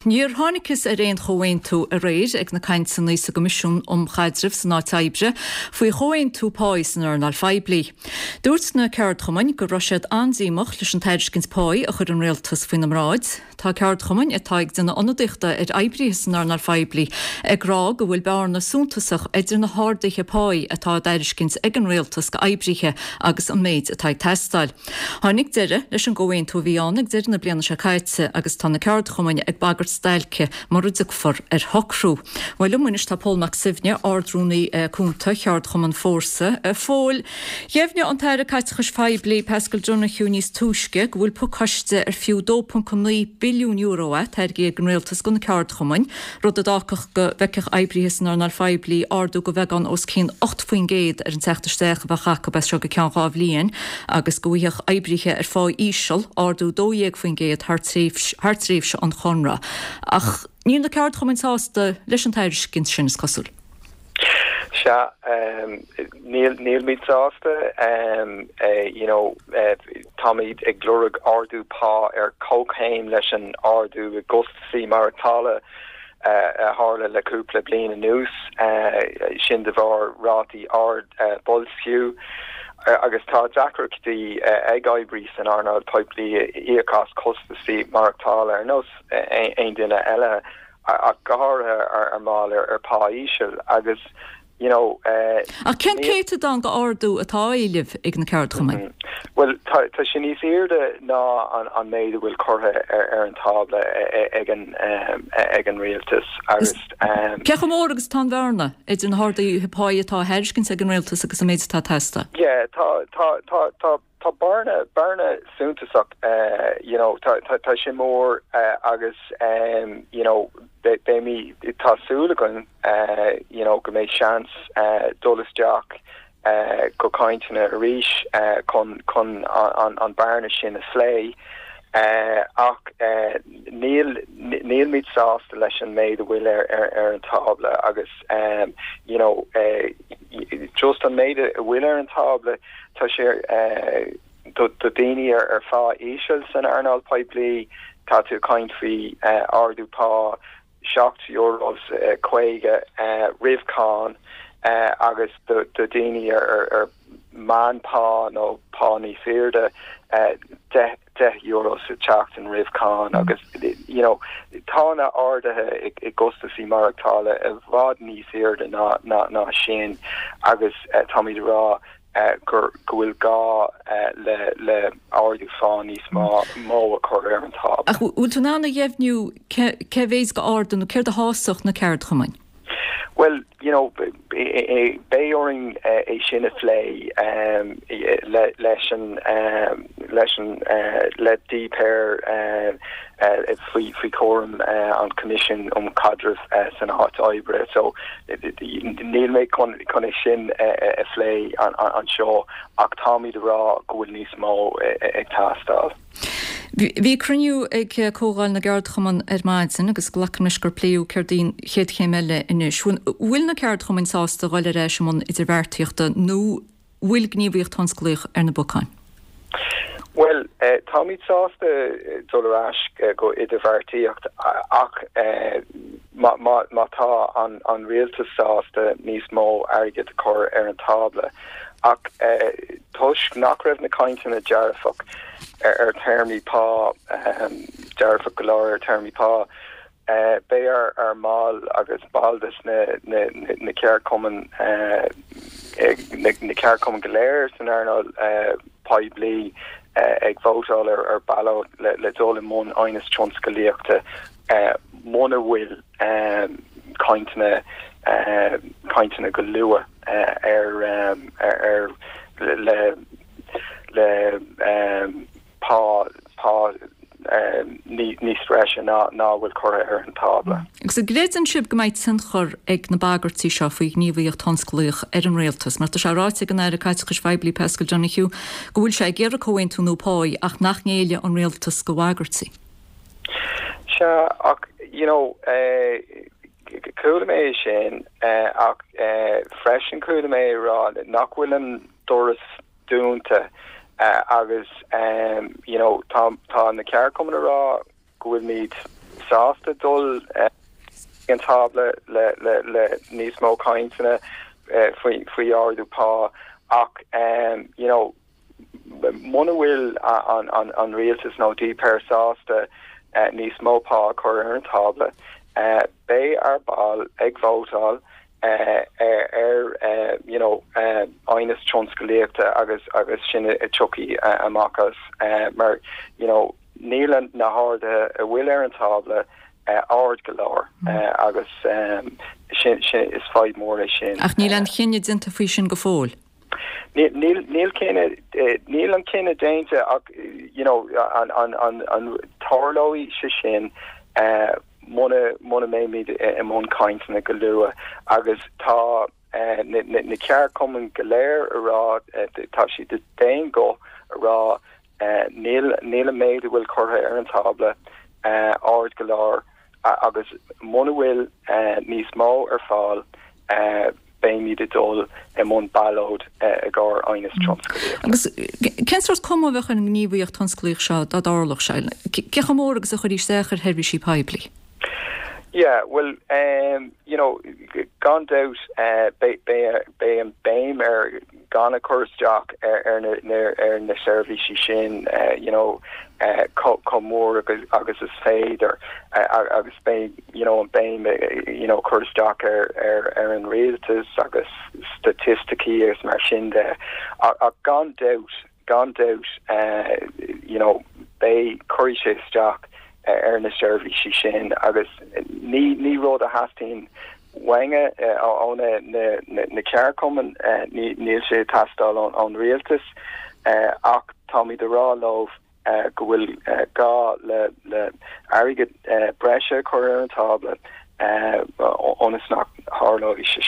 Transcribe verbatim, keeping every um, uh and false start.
Níor thángthas ar aon chomhaontú aréir ag na cainteanna sa gCoimisiún um Chaidreamh san Áit Oibre faoi chomhaontú páí san earnáil phoiblí. Dúirt na ceardchumainn go raibh siad an-díomách leis an tairiscint páí a chuir an rialtas faoina mbráid. Tá ceardchumainn atá ag déanamh ionadaíochta ar oibrithe san earnáil phoiblí ag rá go bhfuil bearna suntasach idir na harduithe páí atá á dtairiscint ag an rialtas go oibrithe agus an méid atá ag teastáil. Tháinig deireadh leis an gcomhaontú a bhí ann ag deireadh na bliana seo caite agus tá na ceardchumainn ag bagairt stailce mura dtiocfar ar shocrú. Well liom anois tá Pól Mac Suibhne Ard-Rúnaí Cúnta Cheardchumann Fórsa. A Phóil, dheimhnigh an tAire Caiteachais Phoiblí Paschal Donohoe níos túisce go bhfuil pacáiste ar fiú dó ponc naoi billiún euro é tairgthe ag an rialtas go na ceardchumainn, rud a d'fhágfadh go bhfeicfeadh oibrithe san earnáil phoiblí ardú de bheagán os cionn ocht faoin gcéad ar an teacht isteach a bheadh acu as seo go ceann dhá bhliain agus go bhfaigheadh oibrithe ar phá íseal ardú dó dhéag faoin gcéad thar tréimhse an chonradh. Ach níl na ceardchumainn sásta leis an tairiscint sin is cosúil. Sea níl nílimid sásta um, uh, you know, uh, táimid ag lorg ardú pá ar comhchéim leis an ardú i gcostaisí maireachtála uh, a tharla le cúpla bliain anuas uh, sin de bharr rátaí ard uh, boilsciú. agus tá deacrachtaí ag oibrithe san earnáil phoiblí íoc as costaisí maireachtála ar nós aon duine eile ach go háirithe ar ar mbaill ar ar pá íseal agus you know uh, Ach cén céatadán d'ardú atá á éileamh ag na ceardchumainn? Mm -hmm. Well tá tá sin níos airde ná an an méid a bhfuil curtha ar ar an tábla ag an um, ag an rialtas agus um, Cé chomh mór agus tá an bhearna idir na harduithe pá atá á dtairiscint ag an rialtas agus an méid atá ag teastáil? Yeah, tá tá tá tá tá bearna bearna suntasach uh, you know tá tá tá sin mór uh, agus um, you know beimid tá súil againn uh, you know go mbeidh seans uh, dul isteach uh, go cainteanna arís uh, chun chun an, an bearna sin a phlé uh, ach uh, níl nílimid sásta leis an méid a bhfuil ar, ar, ar an tábla agus um, you know uh, just an méid a bhfuil ar an tábla tá sé uh, do, do daoine ar ar phá íseal san earnáil phoiblí tá tú caint faoi uh, ardú pá seacht euros uh, caoga uh, roimh cháin uh, agus do, do daoine ar, ar, ar meánphá nó pá níos airde uh, deich deich euro sa tseachtain roimh cháin mm. agus you know tá na arduithe i, i gcostaisí maireachtála i bhfad níos airde ná ná ná sin agus uh, táimid rá uh, gur go bhfuil gá uh, le le ardú pá níos mó mó a chur ar an tábla. Ach bhfuil tú in ann a dheimhniú cé mhéad d'ardú nó céard a shásódh na ceardchumainn? Well, you know, beidh orainn é sin a phlé um, le, leis an um, leis an uh, le DPER uh, uh, faoi faoi chúram uh, an Coimisiún um Chaidreamh uh, san Áit Oibre so níl mé chun chun é sin uh, a phlé an, an, anseo ach táimid rá go bhfuil níos mó ag teastáil. Bhí cruinniú ag Comhdháil na gCeardchumann ar maidin agus glacaim leis gur pléadh céard í an chéad chéim eile anois. Bhfuil na ceardchumainn sásta dul ar ais i mbun idirbheartaíochta nó bhfuil gníomhaíocht thionsclaíoch ar na bacáin? Well, uh, táimid sásta dul ar ais uh, go idirbheartaíocht ach uh, má, má, má tá an, an rialtas sásta níos mó airgid a chur ar an tábla. Ach uh, toisc nach raibh na cainteanna dearfach ar, ar théarmaí pá um, dearfach go leor ar théarmaí pá uh, beidh ar ar mbaill agus baill des na, na, na, na ceardchumainn uh, na, na ceardchumainn go léir san earnáil uh, poiblí uh, ag vótáil ar, ar ballot le, le dul i mbun aighneas tionsclaíochta uh, muna bhfuil um, cainteanna uh, cainteanna go luath uh, ar, um, ar, ar le le um, pá pá um, níos treise ná ná bhfuil curtha ar an tábla. Agus an gcreideann sibh go mbeidh tionchar ag na bagairtí seo faoi ghníomhaíocht thionsclaíoch ar an rialtas, mar tá sé ráite ag an Aire Caiteachais Phoiblí Paschal Donohoe go bhfuil sé ag iarraidh comhaontú nua pá ach nach ngéillfidh an rialtas do bhagairtí. Sea ach you know uh, chuala mé sin uh, ach uh, freisin chuala mé rá nach bhfuil an doras dúnta uh, agus um, you know tá tá na ceardchumainn rá go bhfuilimid sásta dul an tábla le le le níos mó cainteanna faoi faoi ardú pá ach um, you know muna bhfuil an an an rialtas nó DPER sásta uh, níos mó pá a chur ar an tábla uh, beidh ár mbaill ag vótáil uh, ar ar uh, you know uh, aighneas tionsclaíochta agus agus sin a tiocfaidh uh, amach as uh, mar you know níl na harduithe a bhfuil ar an tábla uh, ard go leor uh, agus um, sin sin is fadhb mór é sin. Ach níl an cinneadh déanta faoi sin go fóill. Níl níl cinneadh níl an cinneadh déanta ach you know an an an an tarlóidh sé sin uh, muna muna mbeimid i mbun cainteanna go luath agus tá uh, na, na, na ceardchumainn go léir a rá uh, tá siad d'aon ghuth a rá uh, níl níl an méid a bhfuil curtha ar an tábla uh, ard go leor agus muna bhfuil uh, níos mó ar fáil uh, beimid ag dul i mbun ballóid i gcomhair aighneas tionsclaíoch. Agus cén sórt cuma a bheadh ar an ngníomhaíocht tionsclaíoch seo dá dtarlódh sé cé chomh mór agus a chuirfí isteach ar sheirbhísí poiblí. Yeah, well um, you know gan doubt uh, beidh an béim ar gan a chur isteach ar ar na ar na seirbhísí sin uh, you know uh, chomh mór agus agus is féidir uh, agus beidh you know an béim you know chur isteach ar ar ar an rialtas agus staitisticí agus mar sin de a gan doubt gan doubt uh, you know beidh cuirfidh sé isteach ar na seirbhísí sin agus ní ní rud a theastaíonn uainne ó na na na ceardchumainn níl sé ag teastáil ón rialtas ach táimid ag rá leo go bhfuil gá le le airgead breise chur ar an tábla ionas nach dtarlóidh sé.